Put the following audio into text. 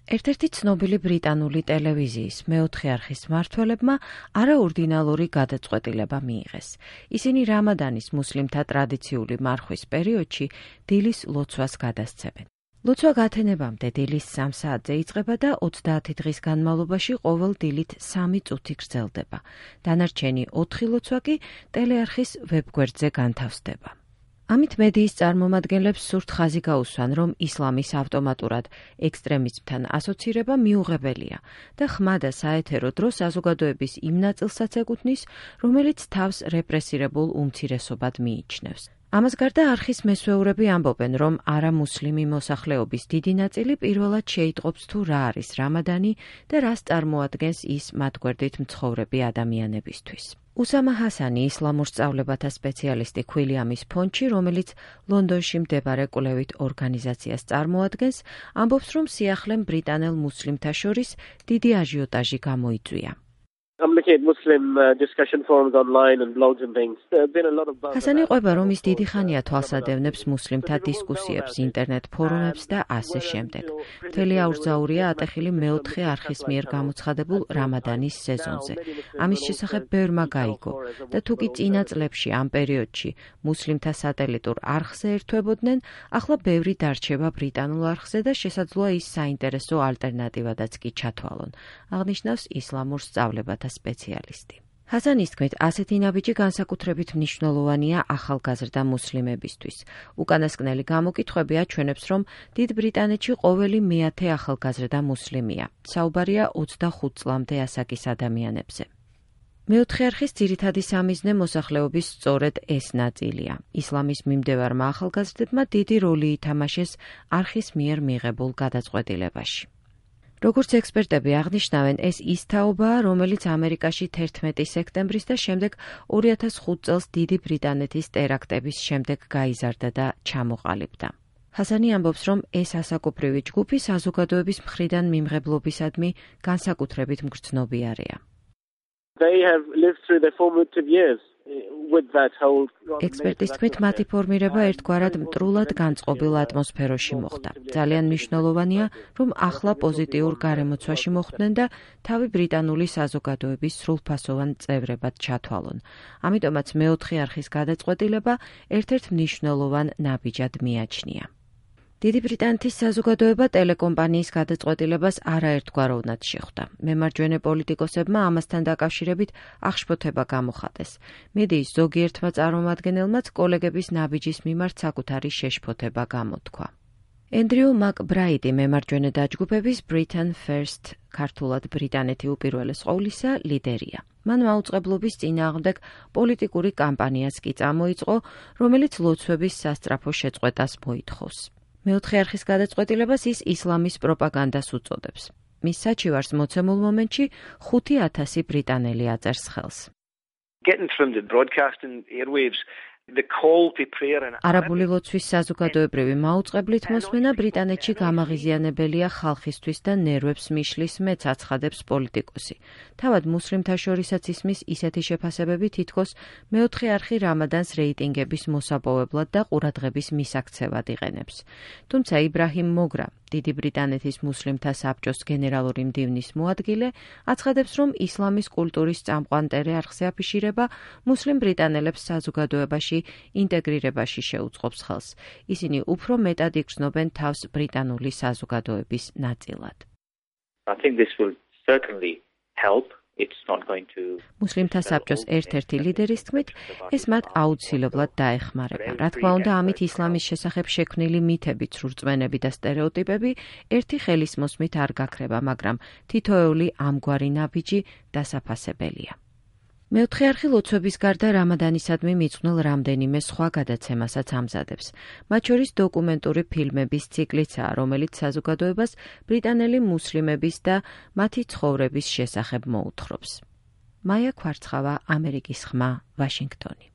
ერთ-ერთი ცნობილი ბრიტანული ტელევიზიის მეოთხე არხის მმართველებმა არაორდინალური გადაწყვეტილება მიიღეს. ისინი რამადანის მუსლიმთა ტრადიციული მარხვის პერიოდში დილის ლოცვას გადასცემენ. ლოცვა გათენებამდე დილის 3 საათზე იწყება და 30 დღის განმავლობაში ყოველ დილით 3 წუთი გრძელდება. დანარჩენი 4 ლოცვა კი ტელეარხის ვებგვერდზე განთავსდება. ამით მედიის წარმომადგენლებს სურთ ხაზი გაუსვან, რომ ისლამის ავტომატურად ექსტრემიზმთან ასოცირება მიუღებელია და ხმა და საეთერო დრო საზოგადოების იმ ნაწილსაც ეკუთვნის, რომელიც თავს რეპრესირებულ უმცირესობად მიიჩნევს. ამას გარდა არხის მესვეურები ამბობენ, რომ არამუსლიმი მოსახლეობის დიდი ნაწილი პირველად შეიტყობს თუ რა არის რამადანი და რას წარმოადგენს ის მათ გვერდით მცხოვრები ადამიანებისთვის. უსამა ჰასანი, ისლამურ სწავლებათა სპეციალისტი ქვილიამის ფონდში, რომელიც ლონდონში მდებარე კვლევით ორგანიზაციას წარმოადგენს, ამბობს, რომ სიახლემ ბრიტანელ მუსლიმთა შორის დიდი აჟიოტაჟი გამოიწვია. ჰასანი ყვება, რომ ის დიდი ხანია თვალსადევნებს მუსლიმთა დისკუსიებს, ინტერნეტ ფორუმებს და ასე შემდეგ. მთელი აურზაურია ატეხილი მეოთხე არხის მიერ გამოცხადებულ რამადანის სეზონზე. ამის შესახებ ბევრმა გაიგო და თუ კი წინა წლებში ამ პერიოდში მუსლიმთა სატელიტურ არხზე ერთვებოდნენ, ახლა ბევრი დარჩება ბრიტანულ არხზე და შესაძლოა ის საინტერესო ალტერნატივადაც კი ჩათვალონ, აღნიშნავს ისლამურ სწავლებათა სპეციალისტი. ჰასანის თქმით, ასეთი ნაბიჯი განსაკუთრებით მნიშვნელოვანია ახალგაზრდა მუსლიმებისთვის. უკანასკნელი გამოკითხვები აჩვენებს, რომ დიდ ბრიტანეთში ყოველი მეათე ახალგაზრდა მუსლიმია. საუბარია 25 წლამდე ასაკის ადამიანებზე. მეოთხე არხის ძირითადი სამიზნე მოსახლეობის სწორედ ეს ნაწილია. ისლამის მიმდევარმა ახალგაზრდებმა დიდი როლი ითამაშეს არხის მიერ მიღებულ გადაწყვეტილებაში. როგორც ექსპერტები აღნიშნავენ, ეს ის თაობაა, რომელიც ამერიკაში 11 სექტემბრის და შემდეგ 2005 წელს დიდი ბრიტანეთის ტერაქტების შემდეგ გაიზარდა და ჩამოყალიბდა. ჰასანი ამბობს, რომ ეს ასაკობრივი ჯგუფი საზოგადოების მხრიდან მიმღებლობისადმი განსაკუთრებით მგრძნობიარეა. ექსპერტის თქმით, მათი ფორმირება ერთგვარად მტრულად განწყობილ ატმოსფეროში მოხდა. ძალიან მნიშვნელოვანია, რომ ახლა პოზიტიურ გარემოცვაში მოხვდნენ და თავი ბრიტანული საზოგადოების სრულფასოვან წევრებად ჩათვალონ. ამიტომაც მეოთხე არხის გადაწყვეტილება ერთ-ერთ მნიშვნელოვან ნაბიჯად მიაჩნია. დიდი ბრიტანეთის საზოგადოება ტელეკომპანიის გადაწყვეტილებას არაერთგვაროვნად შეხვდა. მემარჯვენე პოლიტიკოსებმა ამასთან დაკავშირებით აღშფოთება გამოხატეს. მედიის ზოგიერთმა წარმომადგენელმაც კოლეგების ნაბიჯის მიმართ საკუთარი შეშფოთება გამოთქვა. ენდრიუ მაკბრაიდი მემარჯვენე დაჯგუფების Britain First, ქართულად ბრიტანეთი უპირველეს ყოვლისა, ლიდერია. მან მაუწყებლობის წინააღმდეგ პოლიტიკური კამპანიაც კი წამოიწყო, რომელიც ლოცვების სასწრაფო შეწყვეტას მოითხოვს. მეოთხე არხის გადაწყვეტილებას ის ისლამის პროპაგანდას უწოდებს. მის საჩივარს მოცემულ მომენტში 5,000 ბრიტანელი აწერს ხელს. არაბული ლოცვის საზოგადოებრივი მაუწყებლით მოსმენა ბრიტანეთში გამაღიზიანებელია ხალხისთვის და ნერვებს მიშლის, მეც აცხადებს პოლიტიკოსი. თავად მუსლიმთა შორისაც ისმის ისეთი შეფასებები, თითქოს მეოთხე არხი რამადანს რეიტინგების მოსაპოვებლად და ყურადღების მისაქცევად იყენებს. თუმცა იბრაჰიმ მოგრა, დიდი ბრიტანეთის მუსლიმთა საბჭოს გენერალური მდივნის მოადგილე, აცხადებს, რომ ისლამის კულტურის წამყვან ტელეარხზე აფიშირება მუსლიმ ბრიტანელებს საზოგადოებაში ინტეგრირებაში შეუწყობს ხელს. ისინი უფრო მეტად იგრძნობენ თავს ბრიტანული საზოგადოების ნაწილად. მუსლიმთა საბჭოს ერთ-ერთი ლიდერის თქმით, ეს მათ აუცილებლად დაეხმარება. რა თქმა უნდა, ამით ისლამის შესახებ შექმნილი მითები, ცრურწმენები და სტერეოტიპები ერთი ხელის მოსმით არ გაქრება, მაგრამ თითოეული ამგვარი ნაბიჯი დასაფასებელია. მეოთხე არხი ლოცვების გარდა რამადანისადმი მიძღვნილ რამდენიმე სხვა გადაცემასაც ამზადებს. მათ შორის დოკუმენტური ფილმების ციკლიცაა, რომელიც საზოგადოებას ბრიტანელი მუსლიმების და მათი ცხოვრების შესახებ მოუთხრობს. მაია ქვარცხავა, ამერიკის ხმა, ვაშინგტონი.